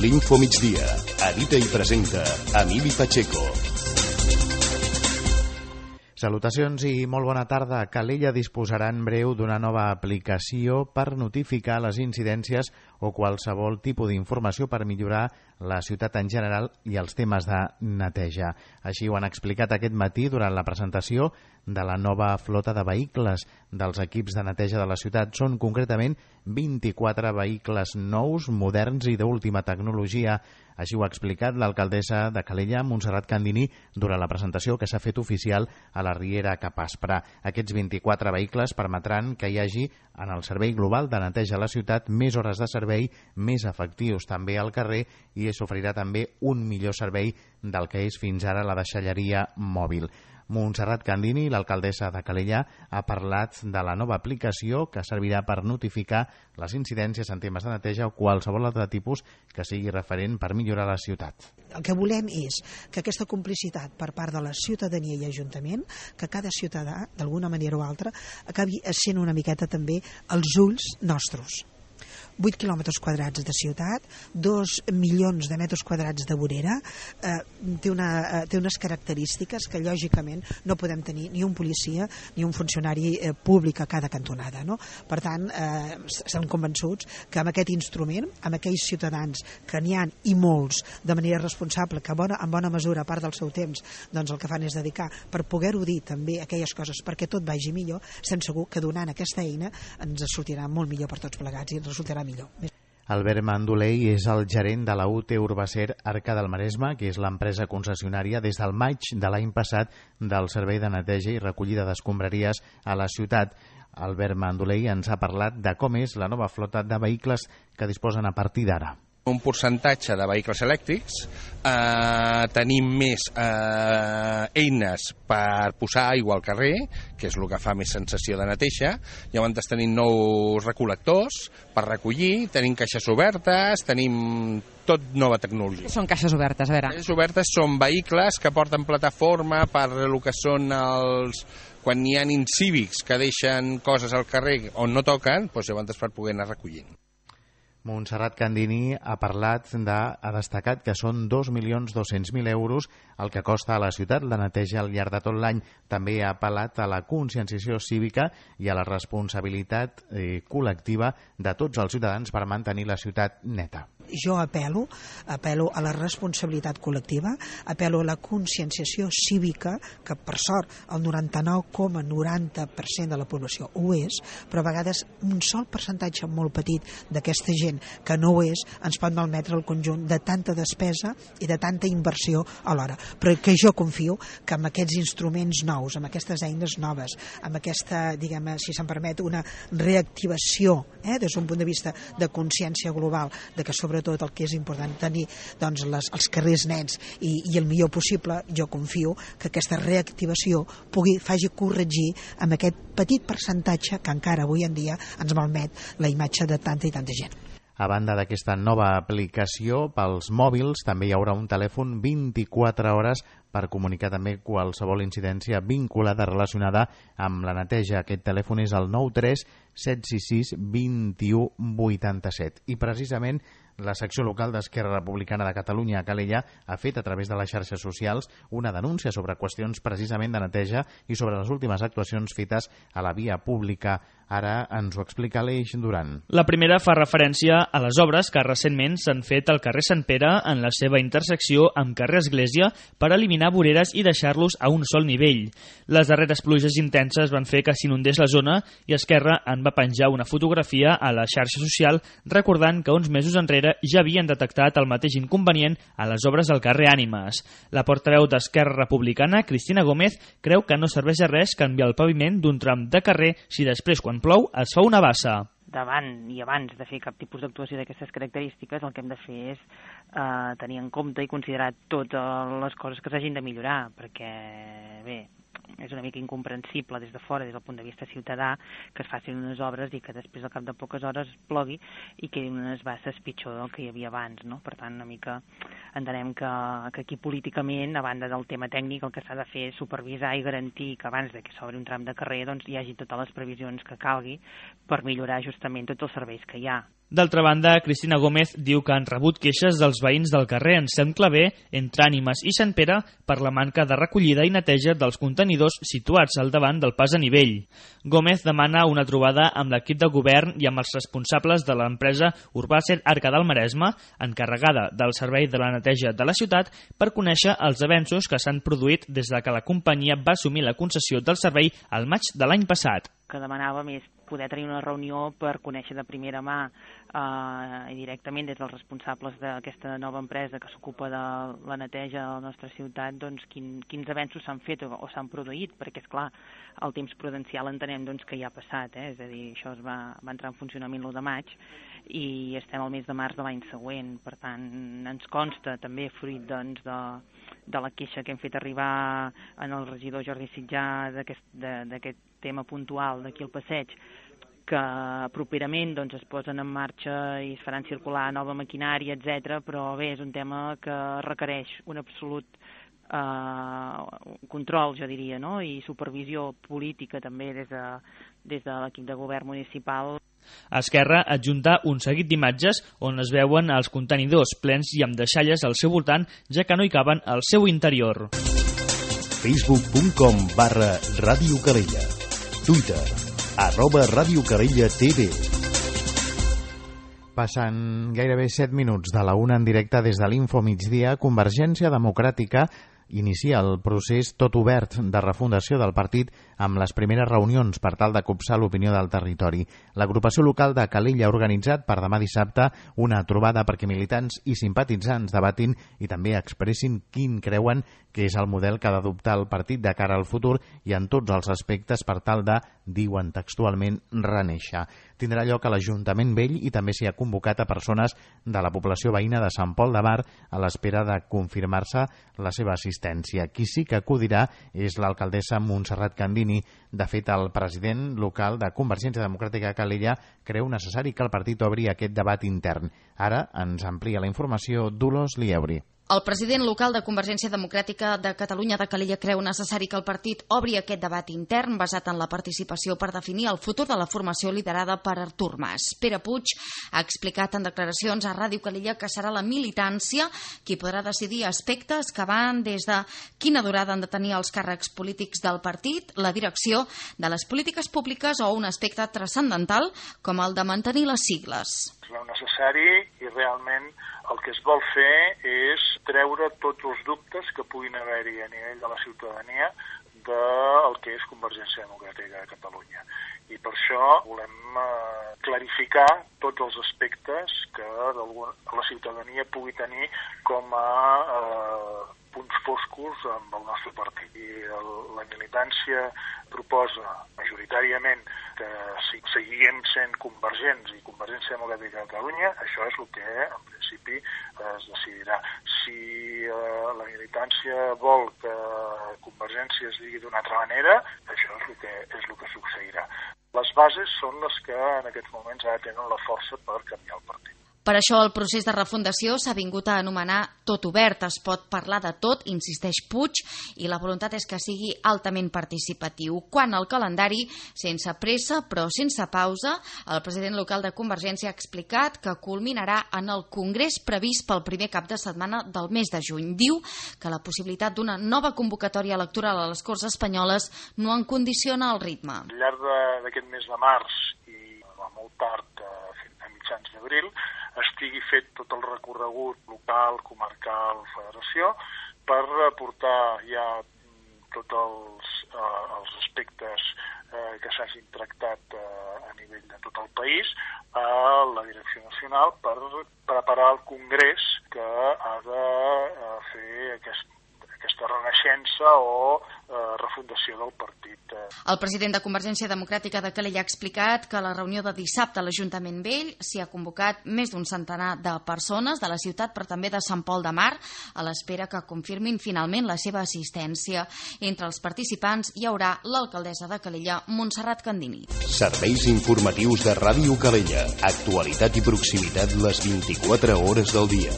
L'Info Migdia. Edita i presenta Emili Pacheco. Salutacions i molt bona tarda. Calella disposarà en breu d'una nova aplicació per notificar les incidències o qualsevol tipus d'informació per millorar la ciutat en general i els temes de neteja. Així ho han explicat aquest matí durant la presentació de la nova flota de vehicles dels equips de neteja de la ciutat. Són concretament 24 vehicles nous, moderns i d'última tecnologia. Així ho ha explicat l'alcaldessa de Calella, Montserrat Candini, durant la presentació que s'ha fet oficial a la Riera cap a Asprà. Aquests 24 vehicles permetran que hi hagi en el servei global de neteja a la ciutat més hores de servei, més efectius també al carrer, i s'oferirà també un millor servei del que és fins ara la deixalleria mòbil. Montserrat Candini, l'alcaldessa de Calella, ha parlat de la nova aplicació que servirà per notificar les incidències en temes de neteja o qualsevol altre tipus que sigui referent per millorar la ciutat. El que volem és que aquesta complicitat per part de la ciutadania i Ajuntament, que cada ciutadà, d'alguna manera o altra, acabi sent una miqueta també els ulls nostres. 8 quilòmetres quadrats de ciutat, 2 milions de metres quadrats de vorera, té unes característiques que lògicament no podem tenir ni un policia ni un funcionari públic a cada cantonada, no? Per tant, estem convençuts que amb aquest instrument, amb aquells ciutadans que n'hi ha i molts de manera responsable, que en bona mesura, a part del seu temps, doncs el que fan és dedicar per poder-ho dir també aquelles coses perquè tot vagi millor, estem segur que donant aquesta eina ens sortirà molt millor per tots plegats i ens resultarà millor. Albert Mandolei és el gerent de la UT Urbacer Arca del Maresme, que és l'empresa concessionària des del maig de l'any passat del servei de neteja i recollida d'escombraries a la ciutat. Albert Mandolei ens ha parlat de com és la nova flota de vehicles que disposen a partir d'ara. Un percentatge de vehicles elèctrics, tenim més eines per posar aigua al carrer, que és el que fa més sensació de neteja. Llavors tenim nous recol·lectors per recollir, tenim caixes obertes, tenim tot nova tecnologia. Què són caixes obertes? A veure. Caixes obertes són vehicles que porten plataforma per el que són els... Quan hi ha incívics que deixen coses al carrer on no toquen, doncs llavors per poder anar recollint. Montserrat Candini ha destacat que són 2.200.000 euros el que costa a la ciutat la neteja al llarg de tot l'any. També ha apel·lat a la conscienciació cívica i a la responsabilitat col·lectiva de tots els ciutadans per mantenir la ciutat neta. Jo apel·lo a la responsabilitat col·lectiva, apel·lo a la conscienciació cívica, que per sort el 99,90% de la població ho és, però a vegades un sol percentatge molt petit d'aquesta gent que no ho és ens pot malmetre el conjunt de tanta despesa i de tanta inversió alhora. Però que jo confio que amb aquests instruments nous, amb aquestes eines noves, amb aquesta, diguem, si se'm permet, una reactivació des d'un punt de vista de consciència global, de que sobretot el que és important tenir doncs, els carrers nets i el millor possible, jo confio que aquesta reactivació faci corregir amb aquest petit percentatge que encara avui en dia ens malmet la imatge de tanta i tanta gent. A banda d'aquesta nova aplicació, pels mòbils també hi haurà un telèfon 24 hores per comunicar també qualsevol incidència vinculada relacionada amb la neteja. Aquest telèfon és el 93 766 21 87. I precisament la secció local d'Esquerra Republicana de Catalunya a Calella ha fet a través de les xarxes socials una denúncia sobre qüestions precisament de neteja i sobre les últimes actuacions fetes a la via pública. Ara ens ho explica l'Eix Duran. La primera fa referència a les obres que recentment s'han fet al carrer Sant Pere en la seva intersecció amb carrer Església per eliminar voreres i deixar-los a un sol nivell. Les darreres pluges intenses van fer que s'inundés la zona i Esquerra en va penjar una fotografia a la xarxa social recordant que uns mesos enrere ja havien detectat el mateix inconvenient a les obres del carrer Ànimes. La portaveu d'Esquerra Republicana, Cristina Gómez, creu que no serveix a res canviar el paviment d'un tram de carrer si després, quan plou, es fa una bassa. Davant i abans de fer cap tipus d'actuació d'aquestes característiques, el que hem de fer és tenir en compte i considerar totes les coses que s'hagin de millorar, perquè, bé, és una mica incomprensible des de fora, des del punt de vista ciutadà, que es facin unes obres i que després al cap de poques hores plogui i quedin unes basses pitjor del que hi havia abans, no? Per tant, una mica entenem que aquí políticament, a banda del tema tècnic, el que s'ha de fer és supervisar i garantir que abans de que s'obri un tram de carrer doncs hi hagi totes les previsions que calgui per millorar justament tots els serveis que hi ha. D'altra banda, Cristina Gómez diu que han rebut queixes dels veïns del carrer Anselm Clavé, entre Ànimes i Sant Pere, per la manca de recollida i neteja dels contenidors situats al davant del pas a nivell. Gómez demana una trobada amb l'equip de govern i amb els responsables de l'empresa Urbàcer Arca del Maresme, encarregada del servei de la neteja de la ciutat, per conèixer els avenços que s'han produït des de que la companyia va assumir la concessió del servei al maig de l'any passat. Que demanàvem és poder tenir una reunió per conèixer de primera mà i directament des dels responsables d'aquesta nova empresa que s'ocupa de la neteja de la nostra ciutat, doncs quins avenços s'han fet o s'han produït, perquè és clar, el temps prudencial entenem doncs, que ja ha passat, és a dir, això va entrar en funcionament l'1 de maig i estem al mes de març de l'any següent, per tant ens consta també fruit doncs, de la queixa que hem fet arribar en el regidor Jordi Sitjà d'aquest tema puntual d'aquí al passeig, que properament doncs, es posen en marxa i es faran circular nova maquinària, etc. Però bé, és un tema que requereix un absolut control, jo diria, no? I supervisió política també des de l'equip de govern municipal. Esquerra adjunta un seguit d'imatges on es veuen els contenidors plens i amb deixalles al seu voltant, ja que no hi caben al seu interior. Facebook.com/Ràdio Calella. Twitter, @Ràdio Calella TV. Passen gairebé 7 minuts de la 1 en directe des de l'Info Migdia. Convergència Democràtica inicia el procés tot obert de refundació del partit amb les primeres reunions per tal de copsar l'opinió del territori. L'agrupació local de Calella ha organitzat per demà dissabte una trobada perquè militants i simpatitzants debatin i també expressin quin creuen que és el model que ha d'adoptar el partit de cara al futur i en tots els aspectes per tal de, diuen textualment, renéixer. Tindrà lloc a l'Ajuntament Vell i també s'hi ha convocat a persones de la població veïna de Sant Pol de Mar a l'espera de confirmar-se la seva assistència. Qui sí que acudirà és l'alcaldessa Montserrat Candini. De fet, el president local de Convergència Democràtica de Calella creu necessari que el partit obri aquest debat intern. Ara ens amplia la informació Dolors Lieuri. El president local de Convergència Democràtica de Catalunya de Calella creu necessari que el partit obri aquest debat intern basat en la participació per definir el futur de la formació liderada per Artur Mas. Pere Puig ha explicat en declaracions a Ràdio Calella que serà la militància qui podrà decidir aspectes que van des de quina durada han de tenir els càrrecs polítics del partit, la direcció de les polítiques públiques o un aspecte transcendental com el de mantenir les sigles. És necessari i realment el que es vol fer és treure tots els dubtes que puguin haver-hi a nivell de la ciutadania del que és Convergència Democràtica de Catalunya. I per això volem clarificar tots els aspectes que la ciutadania pugui tenir com a punts foscos amb el nostre partit. I la militància proposa majoritàriament que seguim sent convergents i Convergència Democràtica de Catalunya. Això és el que en principi es decidirà. Si la militància vol que Convergència es digui d'una altra manera, això és el que succeirà. Les bases són les que en aquests moments ara tenen la força per canviar el partit. Per això el procés de refundació s'ha vingut a anomenar tot obert. Es pot parlar de tot, insisteix Puig, i la voluntat és que sigui altament participatiu. Quant al calendari, sense pressa però sense pausa, el president local de Convergència ha explicat que culminarà en el congrés previst pel primer cap de setmana del mes de juny. Diu que la possibilitat d'una nova convocatòria electoral a les Corts Espanyoles no en condiciona el ritme. Al llarg d'aquest mes de març i molt tard, a mitjans d'abril, estigui fet tot el recorregut local, comarcal, federació, per portar ja tots els aspectes que s'hagin tractat a nivell de tot el país a la Direcció Nacional per preparar el congrés que ha de fer aquesta renaixença o refundació del partit. El president de Convergència Democràtica de Calella ha explicat que a la reunió de dissabte a l'Ajuntament Vell s'hi ha convocat més d'un centenar de persones de la ciutat, però també de Sant Pol de Mar, a l'espera que confirmin finalment la seva assistència. Entre els participants hi haurà l'alcaldessa de Calella, Montserrat Candini. Serveis informatius de Ràdio Calella. Actualitat i proximitat les 24 hores del dia.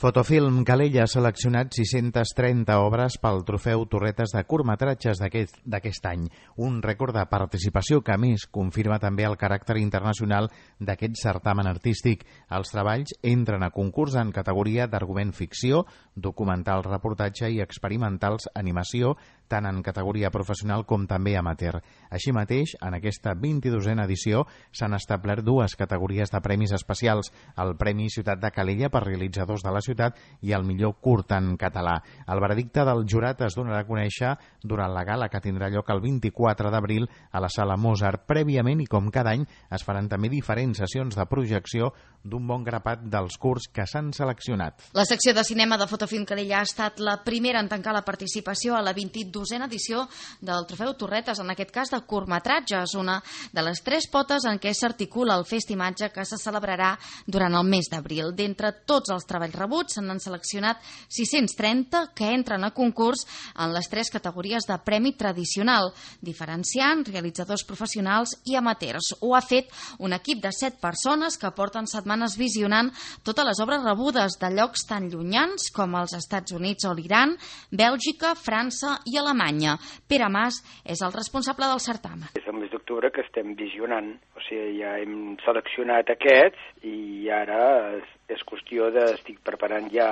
Fotofilm Calella ha seleccionat 630 obres pel trofeu Torretes de curtmetratges d'aquest any. Un rècord de participació que, a més, confirma també el caràcter internacional d'aquest certamen artístic. Els treballs entren a concurs en categoria d'argument ficció, documental reportatge i experimentals animació, tant en categoria professional com també amateur. Així mateix, en aquesta 22a edició s'han establert dues categories de premis especials, el Premi Ciutat de Calella per realitzadors de la ciutat i el millor curt en català. El veredicte del jurat es donarà a conèixer durant la gala que tindrà lloc el 24 d'abril a la Sala Mozart. Prèviament, i com cada any, es faran també diferents sessions de projecció d'un bon grapat dels curts que s'han seleccionat. La secció de cinema de Fotofilm Calella ha estat la primera en tancar la participació a la 22a edició del Trofeu Torretes, en aquest cas de curtmetratges, una de les tres potes en què s'articula el Festimatge que se celebrarà durant el mes d'abril. D'entre tots els treballs rebuts se n'han seleccionat 630 que entren a concurs en les tres categories de premi tradicional, diferenciant realitzadors professionals i amateurs. Ho ha fet un equip de 7 persones que porten setmanes visionant totes les obres rebudes de llocs tan llunyans com els Estats Units o l'Iran, Bèlgica, França i Alemanya. Pere Mas és el responsable del certamen. És el mes d'octubre que estem visionant, o sigui, ja hem seleccionat aquests i ara és qüestió estic preparant ja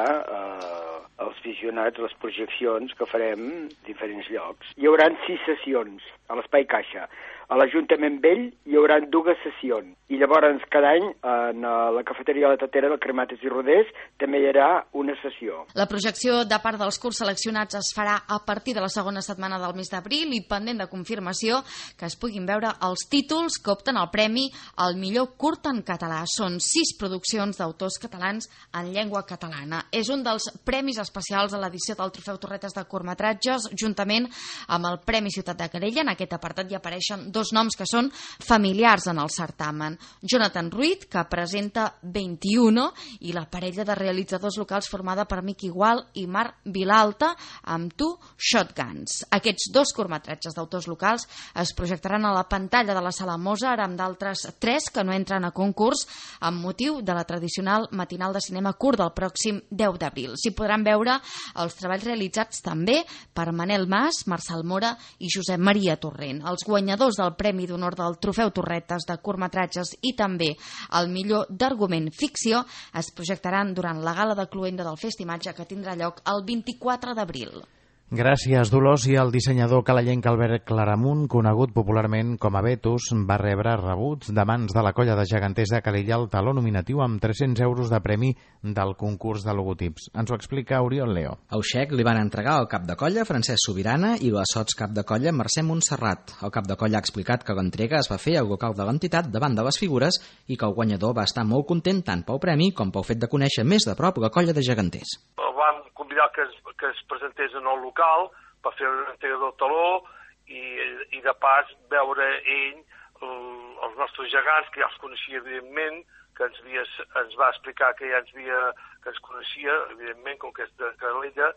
els visionats, les projeccions que farem en diferents llocs. Hi haurà 6 sessions a l'Espai Caixa. A l'Ajuntament Vell hi haurà 2 sessions. I llavors cada any en la cafeteria de la Tatera del Cremates i Rodés també hi haurà una sessió. La projecció de part dels curts seleccionats es farà a partir de la segona setmana del mes d'abril i pendent de confirmació que es puguin veure els títols que opten al premi al millor curt en català. Són 6 produccions d'autors catalans en llengua catalana. És un dels premis especials a l'edició del Trofeu Torretes de curtmetratges, juntament amb el Premi Ciutat de Calella. En aquest apartat hi apareixen 2 noms que són familiars en el certamen. Jonathan Ruiz, que presenta 21, i la parella de realitzadors locals formada per Miqui Gual i Marc Vilalta amb Tu Shotguns. Aquests 2 curtmetratges d'autors locals es projectaran a la pantalla de la Sala Mozart amb d'altres 3 que no entren a concurs amb motiu de la tradicional matinal de cinema curt del pròxim 10 d'abril. S'hi podran veure els treballs realitzats també per Manel Mas, Marçal Mora i Josep Maria Torrent. Els guanyadors del Premi d'Honor del Trofeu Torretes de curtmetratges i també el millor d'argument ficció es projectaran durant la gala de cloenda del Festimatge que tindrà lloc el 24 d'abril. Gràcies, Dolors. I el dissenyador calellenc Albert Claramunt, conegut popularment com a Betus, va rebre rebuts de mans de la colla de geganters de Calella el taló nominatiu amb 300 euros de premi del concurs de logotips. Ens ho explica Oriol Leo. El xec li van entregar al cap de colla Francesc Sobirana i la sots cap de colla Mercè Montserrat. El cap de colla ha explicat que l'entrega es va fer al local de l'entitat davant de les figures i que el guanyador va estar molt content tant pel premi com pel fet de conèixer més de prop la colla de geganters. El vam convidar que es presentés en el local per fer una entrega del taló i de pas veure ell els nostres gegants, que ja els coneixia evidentment, que ens va explicar que ja que ens coneixia, evidentment, com que és de Calella.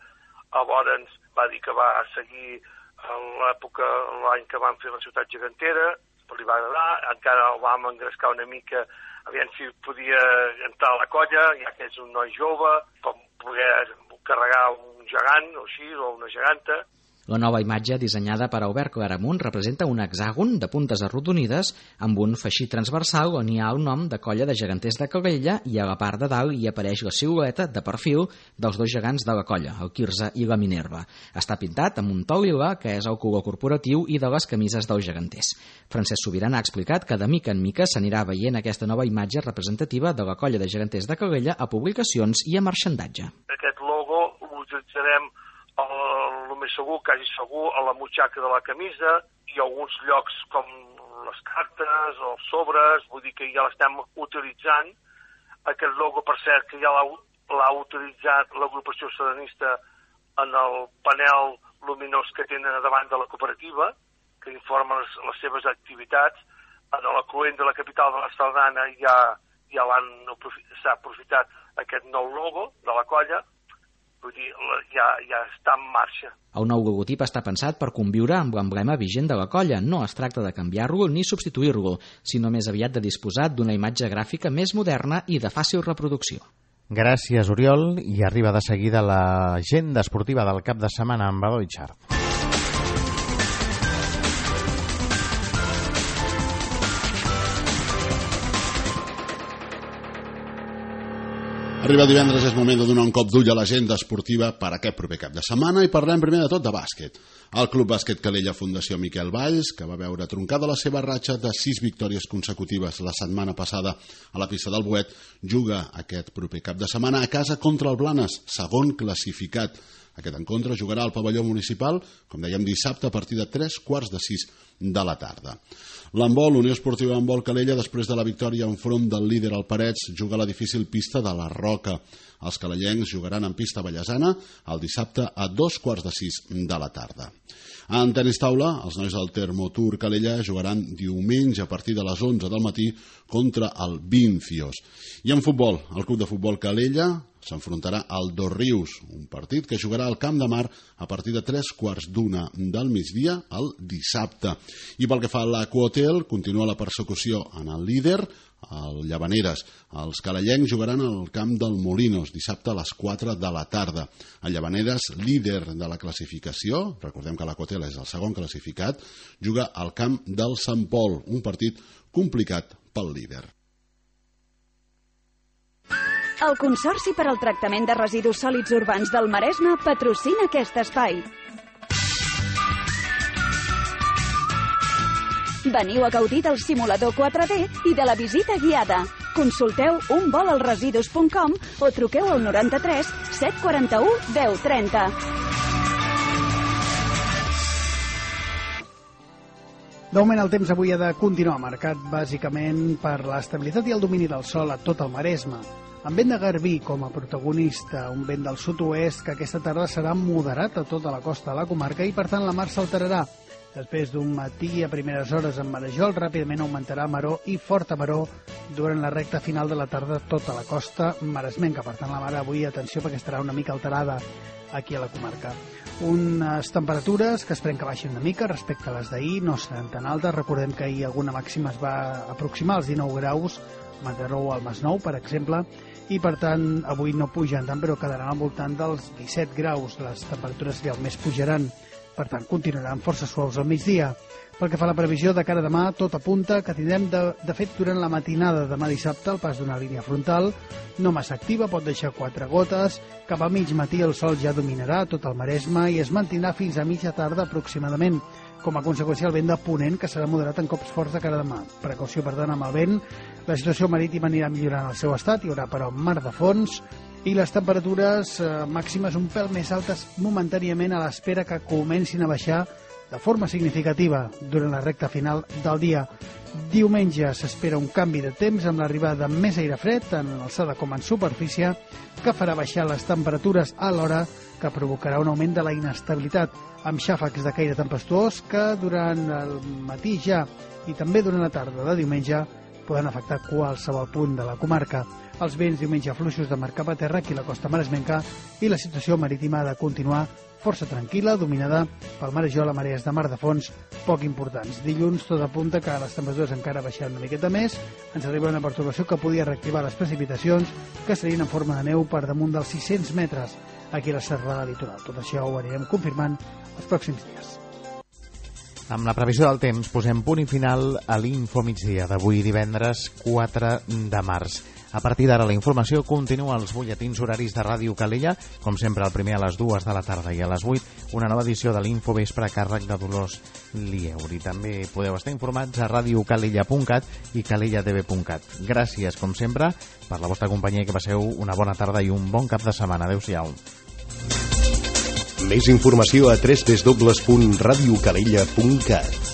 Llavors ens va dir que va seguir en l'època, l'any que vam fer la ciutat gegantera, li va agradar, encara el vam engrescar una mica, aviam si podia entrar a la colla, ja que és un noi jove, per poder carregar un gegant o així, o una geganta. La nova imatge, dissenyada per Albert Claramunt, representa un hexàgon de puntes arrodonides amb un feixí transversal on hi ha el nom de colla de geganters de Calella i a la part de dalt hi apareix la silueta de perfil dels 2 gegants de la colla, el Quirze i la Minerva. Està pintat amb un to lila, que és el color corporatiu i de les camises dels geganters. Francesc Sobirana ha explicat que de mica en mica s'anirà veient aquesta nova imatge representativa de la colla de geganters de Calella a publicacions i a marxandatge. Aquest logo l'utilitzarem el més segur, quasi segur, a la butxaca de la camisa i alguns llocs com les cartes o els sobres, vull dir que ja l'estem utilitzant. Aquest logo, per cert, que ja l'ha utilitzat l'agrupació serenista en el panel luminós que tenen a davant de la cooperativa, que informa les seves activitats. En l'afluent de la capital de la Sardana ja s'ha aprofitat aquest nou logo de la colla, vull dir, ja està en marxa. El nou logotip està pensat per conviure amb l'emblema vigent de la colla. No es tracta de canviar-lo ni substituir-lo, sinó més aviat de disposar d'una imatge gràfica més moderna i de fàcil reproducció. Gràcies, Oriol, i arriba de seguida l'agenda esportiva del cap de setmana amb Eloi Xart. Arriba divendres, és moment de donar un cop d'ull a l'agenda esportiva per aquest proper cap de setmana i parlem primer de tot de bàsquet. El Club Bàsquet Calella Fundació Miquel Valls, que va veure troncada la seva ratxa de 6 victòries consecutives la setmana passada a la pista del Boet, juga aquest proper cap de setmana a casa contra el Blanes, segon classificat. Aquest encontre jugarà al pavelló municipal, com dèiem, dissabte a partir de 3:45 de la tarda. L'handbol, Unió Esportiva Handbol Calella, després de la victòria enfront del líder al Parets, juga a la difícil pista de la Roca. Els calellencs jugaran en pista ballesana el dissabte a 5:45 de la tarda. En tenis taula, els nois del Termotur Calella jugaran diumenge a partir de les 11 del matí contra el Vincios. I en futbol, el Club de Futbol Calella s'enfrontarà al Dos Rius, un partit que jugarà al Camp de Mar a partir de 3:15 del migdia el dissabte. I pel que fa a l'Aquahotel, continua la persecució en el líder, el Llavaneres. Els calellencs jugaran al camp del Molinos dissabte a les 4 de la tarda. El Llavaneres, líder de la classificació, recordem que l'Aquahotel és el segon classificat, juga al camp del Sant Pol, un partit complicat pel líder. El Consorci per al Tractament de Residus Sòlids Urbans del Maresme patrocina aquest espai. Veniu a gaudir del simulador 4D i de la visita guiada. Consulteu unvolalresidus.com o truqueu al 93 741 1030. De moment el temps avui ha de continuar marcat bàsicament per l'estabilitat i el domini del sol a tot el Maresme. Amb vent de garbí com a protagonista, un vent del sud-oest que aquesta tarda serà moderat a tota la costa de la comarca i per tant la mar s'alterarà. Després d'un matí a primeres hores en marejol, ràpidament augmentarà maró i forta maró durant la recta final de la tarda tota la costa maresmenca. Per tant, la mar avui, atenció, perquè estarà una mica alterada aquí a la comarca. Unes temperatures que esperem que baixin una mica respecte a les d'ahir, no seran tan altes. Recordem que ahir alguna màxima es va aproximar als 19 graus, a Mataró o al Masnou, per exemple, i per tant avui no pugen tant, però quedaran al voltant dels 17 graus. Les temperatures realment pujaran. Per tant, continuaran força suaus al migdia. Pel que fa a la previsió de cara a demà, tot apunta que tindrem, de fet, durant la matinada de demà dissabte, el pas d'una línia frontal, no massa activa, pot deixar 4 gotes. Cap al mig matí el sol ja dominarà tot el Maresme i es mantindrà fins a mitja tarda aproximadament. Com a conseqüència, el vent de ponent, que serà moderat en cops forts de cara a demà. Precaució, per tant, amb el vent. La situació marítima anirà millorant el seu estat, hi haurà, però, mar de fons, i les temperatures màximes un pèl més altes momentàniament a l'espera que comencin a baixar de forma significativa durant la recta final del dia. Diumenge s'espera un canvi de temps amb l'arribada de més aire fred, tant en alçada com en superfície, que farà baixar les temperatures alhora que provocarà un augment de la inestabilitat, amb xàfecs de caire tempestuós que durant el matí ja i també durant la tarda de diumenge poden afectar qualsevol punt de la comarca. Els vents diumenge fluixos de mar cap a terra aquí a la costa maresmenca i la situació marítima ha de continuar força tranquil·la, dominada pel marejol a marees de mar de fons poc importants. Dilluns tot apunta que les temperatures encara baixaran una miqueta més, ens arriba una pertorbació que podia reactivar les precipitacions que serien en forma de neu per damunt dels 600 metres aquí a la serrada litoral. Tot això ho anirem confirmant els pròxims dies. Amb la previsió del temps posem punt i final a l'Info Migdia d'avui divendres 4 de març. A partir d'ara la informació continua als butlletins horaris de Ràdio Calella, com sempre el primer a les 2 de la tarda i a les 8 una nova edició de l'Info Vespre a càrrec de Dolors Lieuri. També podeu estar informats a radiocalella.cat i calellatv.cat. Gràcies, com sempre, per la vostra companyia i que passeu una bona tarda i un bon cap de setmana. Adéu-siau. Més informació a www.radiocalella.cat.